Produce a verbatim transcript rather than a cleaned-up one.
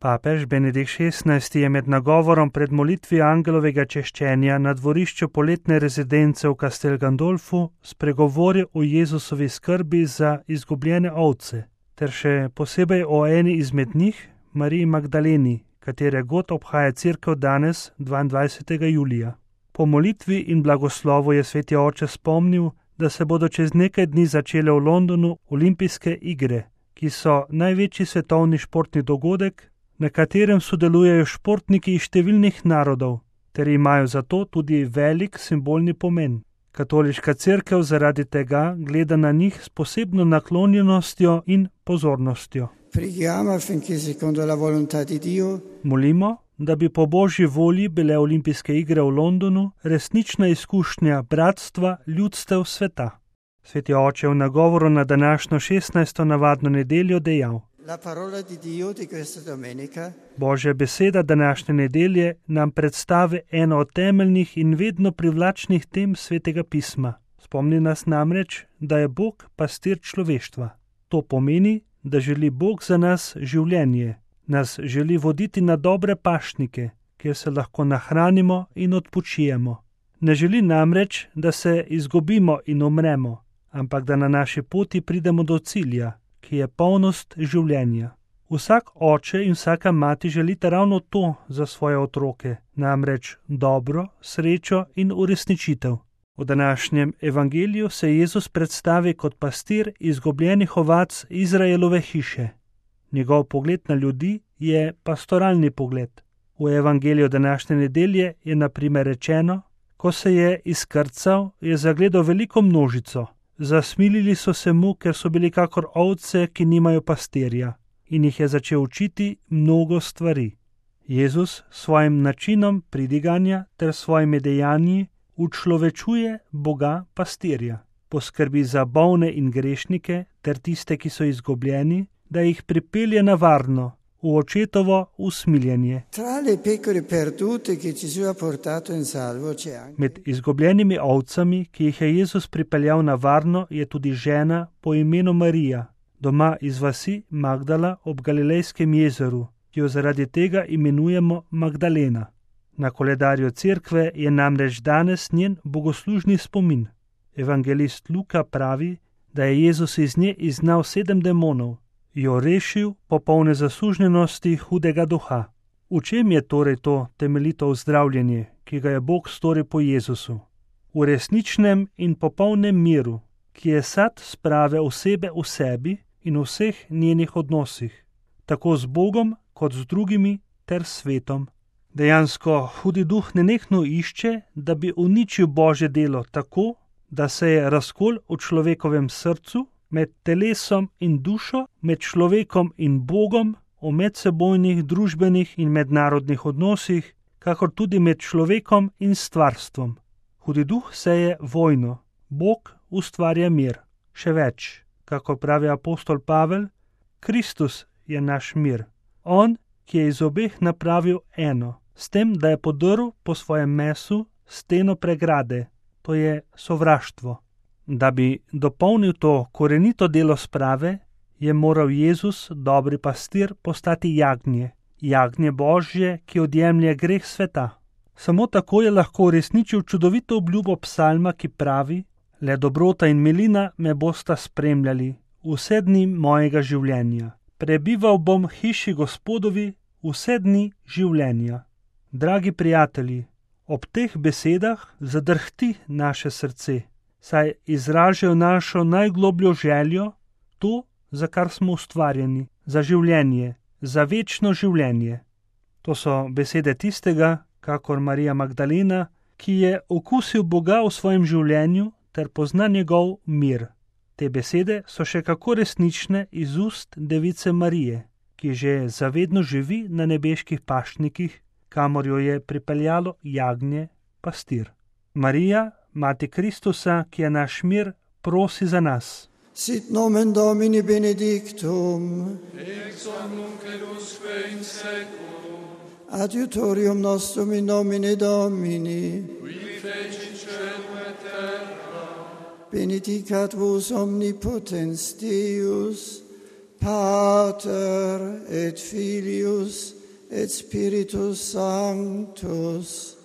Papež Benedikt šestnajsti je med nagovorom pred molitvijo angelovega češčenja na dvorišču poletne rezidence v Castel Gandolfu spregovoril o Jezusovi skrbi za izgubljene ovce, ter še posebej o eni izmed njih, Mariji Magdaleni, katere god obhaja cerkev danes, dvaindvajsetega julija. Po molitvi in blagoslovu je sveti oče spomnil, da se bodo čez nekaj dni začele v Londonu olimpijske igre, ki so največji svetovni športni dogodek, na katerem sodelujejo športniki iz številnih narodov, ter imajo zato tudi velik simbolni pomen. Katoliška cerkev zaradi tega gleda na njih s posebno naklonjenostjo in pozornostjo. Molimo, da bi po Božji volji bile olimpijske igre v Londonu resnična izkušnja bratstva ljudstev sveta. Sveti oče v nagovoru na današnjo šestnajsto navadno nedeljo dejal: Božja beseda današnje nedelje nam predstavi eno od temeljnih in vedno privlačnih tem svetega pisma. Spomni nas namreč, da je Bog pastir človeštva. To pomeni, da želi Bog za nas življenje, nas želi voditi na dobre pašnike, kjer se lahko nahranimo in odpočijemo. Ne želi namreč, da se izgubimo in umremo, ampak da na naši poti pridemo do cilja, ki je polnost življenja. Vsak oče in vsaka mati želita ravno to za svoje otroke, namreč dobro, srečo in uresničitev. V današnjem evangeliju se Jezus predstavi kot pastir izgubljenih ovac Izraelove hiše. Njegov pogled na ljudi je pastoralni pogled. V evangeliju današnje nedelje je na primer rečeno: ko se je izkrcal, je zagledal veliko množico. Zasmilili so se mu, ker so bili kakor ovce, ki nimajo pastirja, in jih je začel učiti mnogo stvari. Jezus s svojim načinom pridiganja ter svojimi dejanji učlovečuje Boga pastirja. Poskrbi za bolne in grešnike ter tiste, ki so izgubljeni, da jih pripelje na varno, v očetovo usmiljenje. Med izgubljenimi ovcami, ki jih je Jezus pripeljal na varno, je tudi žena po imenu Marija, doma iz vasi Magdala ob Galilejskem jezeru, ki jo zaradi tega imenujemo Magdalena. Na koledarju cerkve je namreč danes njen bogoslužni spomin. Evangelist Luka pravi, da je Jezus iz nje izgnal sedem demonov, jo rešil popolne zasužnjenosti hudega duha. V čem je torej to temeljito ozdravljenje, ki ga je Bog storil po Jezusu? V resničnem in popolnem miru, ki je sad sprave osebe v sebi in v vseh njenih odnosih, tako z Bogom kot z drugimi ter svetom. Dejansko hudi duh nenehno išče, da bi uničil Božje delo tako, da se je razkol v človekovem srcu, med telesom in dušo, med človekom in Bogom, o medsebojnih, družbenih in mednarodnih odnosih, kakor tudi med človekom in stvarstvom. Hudi duh seje vojno, Bog ustvarja mir. Še več, kako pravi apostol Pavel, Kristus je naš mir. On, ki je iz obeh napravil eno, s tem, da je podrl po svojem mesu steno pregrade, to je sovraštvo. Da bi dopolnil to korenito delo sprave, je moral Jezus, dobri pastir, postati jagnje, jagnje Božje, ki odjemlje greh sveta. Samo tako je lahko uresničil čudovito obljubo psalma, ki pravi: le dobrota in milina me bosta spremljali vse dni mojega življenja. Prebival bom v hiši Gospodovi vse dni življenja. Dragi prijatelji, ob teh besedah zadrhti naše srce, saj izražajo našo najglobljo željo, to, za kar smo ustvarjeni, za življenje, za večno življenje. To so besede tistega, kakor Marija Magdalena, ki je okusil Boga v svojem življenju ter pozna njegov mir. Te besede so še kako resnične iz ust device Marije, ki že zavedno živi na nebeških pašnikih, kamor jo je pripeljalo jagnje pastir. Marija, Mati Kristusa, ki je naš mir, prosi za nas. Sit nomen Domini benedictum, ex hoc nunc et usque in seculum, adiutorium nostrum in nomine Domini, qui fecit caelum et terra, benedicat vos omnipotens Deus, Pater et Filius et Spiritus Sanctus.